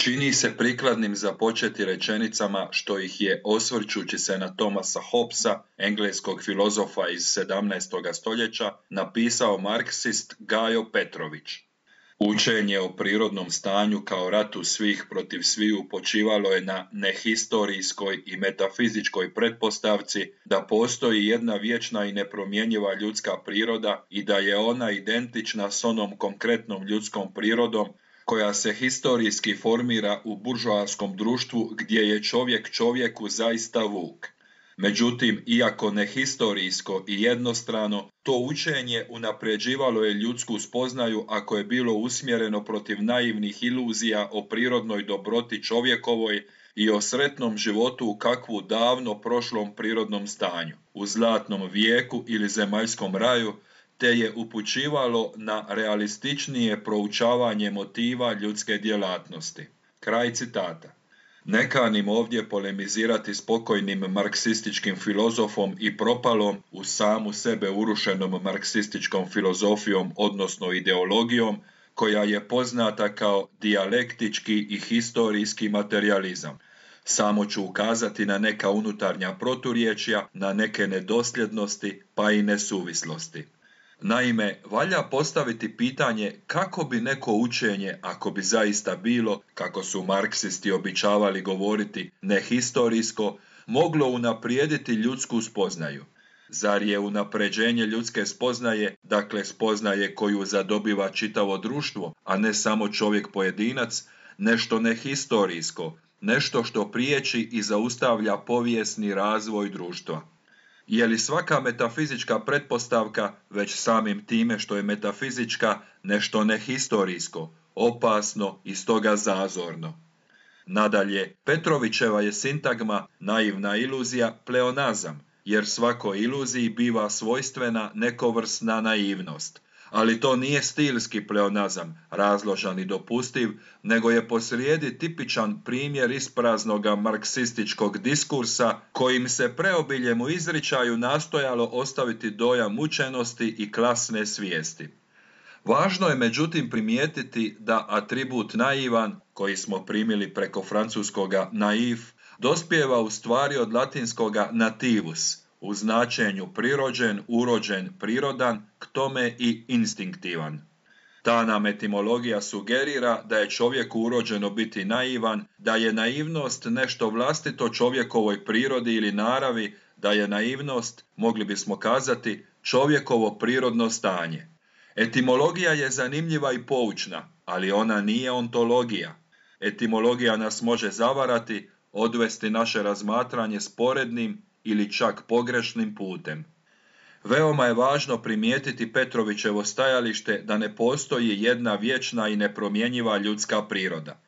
Čini se prikladnim započeti rečenicama što ih je, osvrćući se na Thomasa Hobbesa, engleskog filozofa iz 17. stoljeća, napisao marksist Gajo Petrović. Učenje o prirodnom stanju kao ratu svih protiv sviju počivalo je na nehistorijskoj i metafizičkoj pretpostavci da postoji jedna vječna i nepromjenjiva ljudska priroda i da je ona identična s onom konkretnom ljudskom prirodom koja se historijski formira u buržoaskom društvu gdje je čovjek čovjeku zaista vuk. Međutim, iako nehistorijsko i jednostrano, to učenje unapređivalo je ljudsku spoznaju ako je bilo usmjereno protiv naivnih iluzija o prirodnoj dobroti čovjekovoj i o sretnom životu u kakvu davno prošlom prirodnom stanju, u zlatnom vijeku ili zemaljskom raju, te je upućivalo na realističnije proučavanje motiva ljudske djelatnosti. Kraj citata. Ne kanim ovdje polemizirati s pokojnim marksističkim filozofom i propalom u samu sebe urušenom marksističkom filozofijom, odnosno ideologijom, koja je poznata kao dijalektički i historijski materijalizam. Samo ću ukazati na neka unutarnja proturječja, na neke nedosljednosti pa i nesuvislosti. Naime, valja postaviti pitanje kako bi neko učenje, ako bi zaista bilo, kako su marksisti običavali govoriti, nehistorijsko, moglo unaprijediti ljudsku spoznaju. Zar je unapređenje ljudske spoznaje, dakle spoznaje koju zadobiva čitavo društvo, a ne samo čovjek pojedinac, nešto nehistorijsko, nešto što priječi i zaustavlja povijesni razvoj društva? Je li svaka metafizička pretpostavka, već samim time što je metafizička, nešto nehistorijsko, opasno i stoga zazorno? Nadalje, Petrovićeva je sintagma naivna iluzija pleonazam, jer svakoj iluziji biva svojstvena nekovrsna naivnost. Ali to nije stilski pleonazam, razložan i dopustiv, nego je posrijedi tipičan primjer ispraznoga marksističkog diskursa kojim se preobiljem u izričaju nastojalo ostaviti dojam učenosti i klasne svijesti. Važno je međutim primijetiti da atribut naivan, koji smo primili preko francuskoga naif, dospijeva u stvari od latinskoga nativus, u značenju prirođen, urođen, prirodan, k tome i instinktivan. Ta nam etimologija sugerira da je čovjeku urođeno biti naivan, da je naivnost nešto vlastito čovjekovoj prirodi ili naravi, da je naivnost, mogli bismo kazati, čovjekovo prirodno stanje. Etimologija je zanimljiva i poučna, ali ona nije ontologija. Etimologija nas može zavarati, odvesti naše razmatranje sporednim ili čak pogrešnim putem. Veoma je važno primijetiti Petrovićevo stajalište da ne postoji jedna vječna i nepromjenjiva ljudska priroda.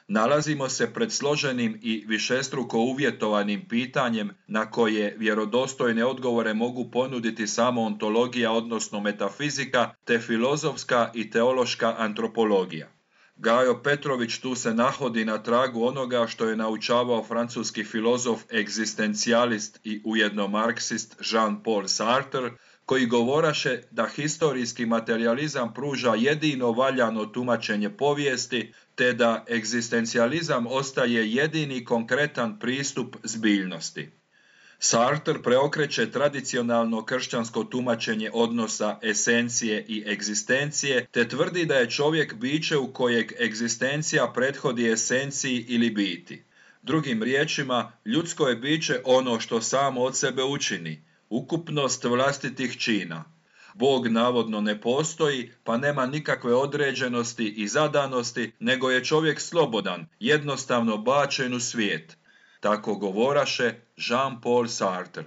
Nalazimo se pred složenim i višestruko uvjetovanim pitanjem na koje vjerodostojne odgovore mogu ponuditi samo ontologija, odnosno metafizika, te filozofska i teološka antropologija. Gajo Petrović tu se nahodi na tragu onoga što je naučavao francuski filozof egzistencijalist i ujedno marksist Jean-Paul Sartre, koji govoraše da historijski materijalizam pruža jedino valjano tumačenje povijesti, te da egzistencijalizam ostaje jedini konkretan pristup zbiljnosti. Sartre preokreće tradicionalno kršćansko tumačenje odnosa esencije i egzistencije, te tvrdi da je čovjek biće u kojeg egzistencija prethodi esenciji ili biti. Drugim riječima, ljudsko je biće ono što samo od sebe učini, ukupnost vlastitih čina. Bog navodno ne postoji, pa nema nikakve određenosti i zadanosti, nego je čovjek slobodan, jednostavno bačen u svijet. Tako govoraše Jean-Paul Sartre.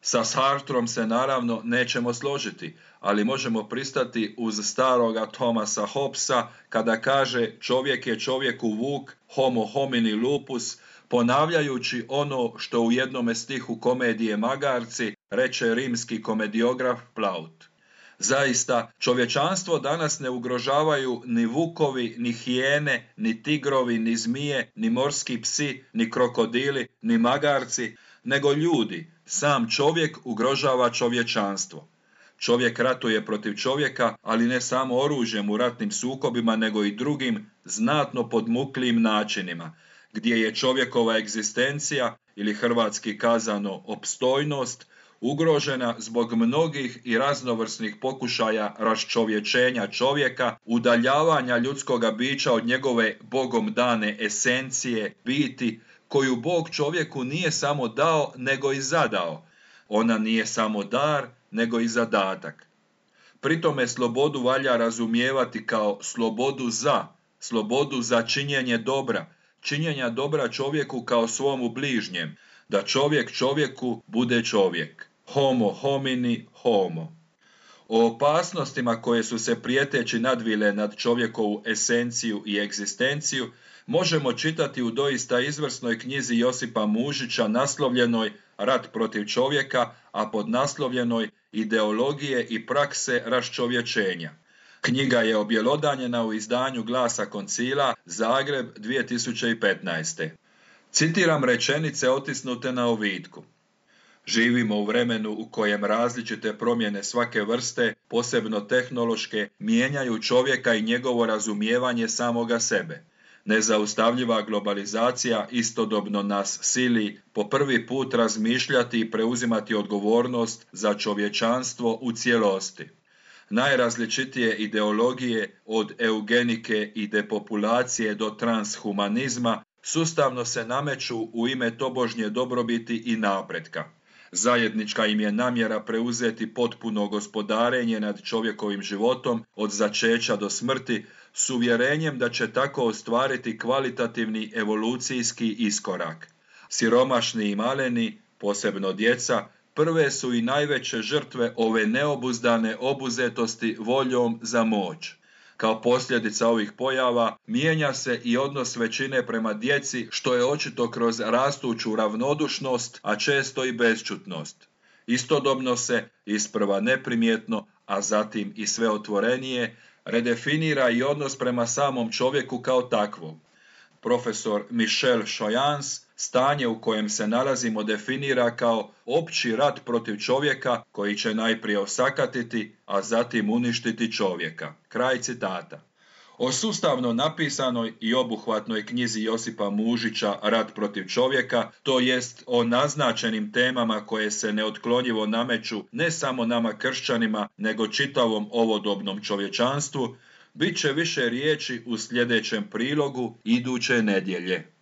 Sa Sartrom se naravno nećemo složiti, ali možemo pristati uz staroga Thomasa Hobbesa kada kaže čovjek je čovjeku vuk, homo homini lupus, ponavljajući ono što u jednome stihu komedije Magarci reče rimski komediograf Plaut. Zaista, čovječanstvo danas ne ugrožavaju ni vukovi, ni hijene, ni tigrovi, ni zmije, ni morski psi, ni krokodili, ni magarci, nego ljudi. Sam čovjek ugrožava čovječanstvo. Čovjek ratuje protiv čovjeka, ali ne samo oružjem u ratnim sukobima, nego i drugim, znatno podmuklijim načinima, gdje je čovjekova egzistencija, ili hrvatski kazano opstojnost, ugrožena zbog mnogih i raznovrsnih pokušaja raščovječenja čovjeka, udaljavanja ljudskoga bića od njegove Bogom dane esencije, biti, koju Bog čovjeku nije samo dao, nego i zadao. Ona nije samo dar, nego i zadatak. Pri tome slobodu valja razumijevati kao slobodu za činjenje dobra, činjenja dobra čovjeku kao svomu bližnjem, da čovjek čovjeku bude čovjek. Homo homini homo. O opasnostima koje su se prijeteći nadvile nad čovjekovu esenciju i egzistenciju možemo čitati u doista izvrsnoj knjizi Josipa Mužića naslovljenoj Rat protiv čovjeka, a podnaslovljenoj Ideologije i prakse raščovječenja. Knjiga je objelodanjena u izdanju Glasa Koncila, Zagreb 2015. Citiram rečenice otisnute na ovitku. Živimo u vremenu u kojem različite promjene svake vrste, posebno tehnološke, mijenjaju čovjeka i njegovo razumijevanje samoga sebe. Nezaustavljiva globalizacija istodobno nas sili po prvi put razmišljati i preuzimati odgovornost za čovječanstvo u cijelosti. Najrazličitije ideologije, od eugenike i depopulacije do transhumanizma, sustavno se nameću u ime tobožnje dobrobiti i napretka. Zajednička im je namjera preuzeti potpuno gospodarenje nad čovjekovim životom od začeća do smrti, s uvjerenjem da će tako ostvariti kvalitativni evolucijski iskorak. Siromašni i maleni, posebno djeca, prve su i najveće žrtve ove neobuzdane obuzetosti voljom za moć. Kao posljedica ovih pojava mijenja se i odnos većine prema djeci, što je očito kroz rastuću ravnodušnost, a često i bešćutnost. Istodobno se, isprva neprimjetno, a zatim i sve otvorenije, redefinira i odnos prema samom čovjeku kao takvom. Profesor Michel Choyans stanje u kojem se nalazimo definira kao opći rat protiv čovjeka koji će najprije osakatiti, a zatim uništiti čovjeka. Kraj citata. O sustavno napisanoj i obuhvatnoj knjizi Josipa Mužića Rat protiv čovjeka, to jest o naznačenim temama koje se neotklonjivo nameću ne samo nama kršćanima, nego čitavom ovodobnom čovječanstvu, bit će više riječi u sljedećem prilogu iduće nedjelje.